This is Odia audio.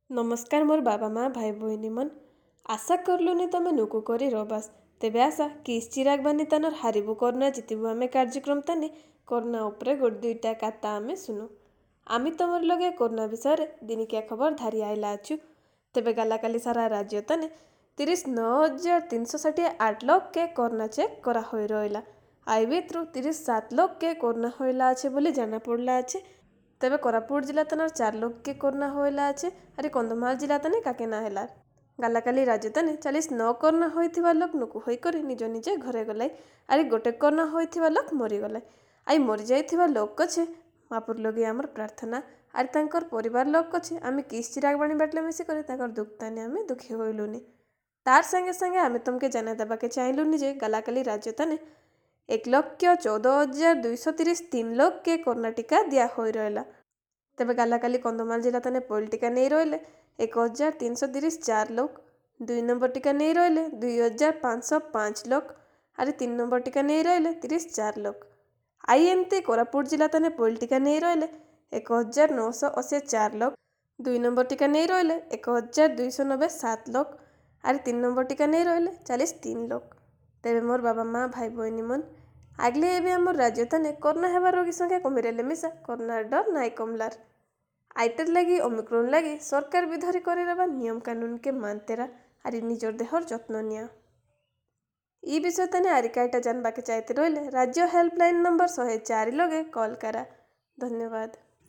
ନମସ୍କାର ମୋର ବାବା ମା ଭାଇ ଭଉଣୀ ମନ, ଆଶା କରଲୁନି ତମେ ନୁକୁ କରି ରବାସ। ତେବେ ଆଶା କିସ୍ ଚିରାଗ ବାନି ତାନର ହାରିବୁ କରୋନା ଜିତିବୁ ଆମେ କାର୍ଯ୍ୟକ୍ରମ ତାନେ କରୋନା ଉପରେ ଗୋଟେ ଦୁଇଟା କାତା ଆମେ ଶୁନୁ। ଆମେ ତମର ଲଗେ କରୋନା ବିଷୟରେ ଦିନିକିଆ ଖବର ଧାରି ଆଇଲା ଅଛୁ। ତେବେ ଗାଲାକାଲି ସାରା ରାଜ୍ୟ ତାନେ 39,368 ଲୋକକେ କରୋନା ଚେକ୍ କରା ହୋଇ ରହିଲା। I ଭିତରୁ 37 ଲୋକକେ କରୋନା ହୋଇଲା ଅଛି ବୋଲି ଜାଣା ପଡ଼ଲା ଅଛି। ତେବେ କୋରାପୁଟ ଜିଲ୍ଲା ତାନର 4 ଲୋକକେ କରୋନା ହୋଇଲା ଅଛି, ଆରେ କନ୍ଧମାଳ ଜିଲ୍ଲା ତାନେ କାକେ ନା ହେଲା। ଗାଲାକାଲି ରାଜ୍ୟ ତାନେ 49 କରୋନା ହୋଇଥିବା ଲୋକ ନୁକୁ ହୋଇକରି ନିଜ ନିଜେ ଘରେ ଗଲାଇ, ଆରେ ଗୋଟେ କରୋନା ହୋଇଥିବା ଲୋକ ମରିଗଲା। I ମରିଯାଇଥିବା ଲୋକ ଅଛେ ମାପୁର ଲଗେଇ ଆମର ପ୍ରାର୍ଥନା, ଆରେ ତାଙ୍କର ପରିବାର ଲୋକ ଅଛେ ଆମେ କିସ୍ ଚିରାଗ ବାଣି ବାଟଲେ ମିଶିକରି ତାଙ୍କର ଦୁଃଖ ତାନେ ଆମେ ଦୁଃଖୀ ହୋଇଲୁନି। ତାର ସାଙ୍ଗେ ସାଙ୍ଗେ ଆମେ ତମକେ ଜାନା ଦେବାକେ ଚାହିଁଲୁନି ଯେ ଗାଲାକାଲି ରାଜ୍ୟ ତାନେ 1,14,233 ଲୋକକେ କରୋନା ଟୀକା ଦିଆ ହୋଇ ରହିଲା। ତେବେ ଗାଲାକାଲି କନ୍ଧମାଳ ଜିଲ୍ଲା ତାନେ ପହିଲ ଟୀକା ନେଇ ରହିଲେ 1,334 ଲୋକ, 2 ନମ୍ବର ଟୀକା ନେଇ ରହିଲେ 2,505 ଲୋକ, ଆରେ 3 ନମ୍ବର ଟୀକା ନେଇ ରହିଲେ 34 ଲୋକ। I ଏମିତି କୋରାପୁଟ ଜିଲ୍ଲା ତାନେ ପହିଲ ଟୀକା ନେଇ ରହିଲେ 1,984 ଲୋକ, 2 ନମ୍ବର ଟୀକା ନେଇ ରହିଲେ 1,297 ଲୋକ, ଆରେ 3 ନମ୍ବର ଟୀକା ନେଇ ରହିଲେ 43 ଲୋକ। ତେବେ ମୋର ବାବା ମା ଭାଇ ଭଉଣୀ ମନ, ଆଗଲେ ଏବେ ଆମର ରାଜ୍ୟ ତାନେ କରୋନା ହେବାର ରୋଗୀ ସଂଖ୍ୟା କମି ରହିଲେ ମିଶା କରୋନାର ଡର ନାଇଁ କମଲାର। ଆଇଟର ଲାଗି ଓମିକ୍ରନ୍ ଲାଗି ସରକାର ବି ଧରି କରିରବା ନିୟମ କାନୁନକେ ମାନତେରା ଆରି ନିଜର ଦେହର ଯତ୍ନ ନିଆ। ଇ ବିଷୟ ତାନେ ଆରି କାଇଟା ଜାନବାକେ ଚାହିଁତେ ରହିଲେ ରାଜ୍ୟ ହେଲ୍ପଲାଇନ୍ ନମ୍ବର 104 ଲଗେ କଲ୍ କରା। ଧନ୍ୟବାଦ।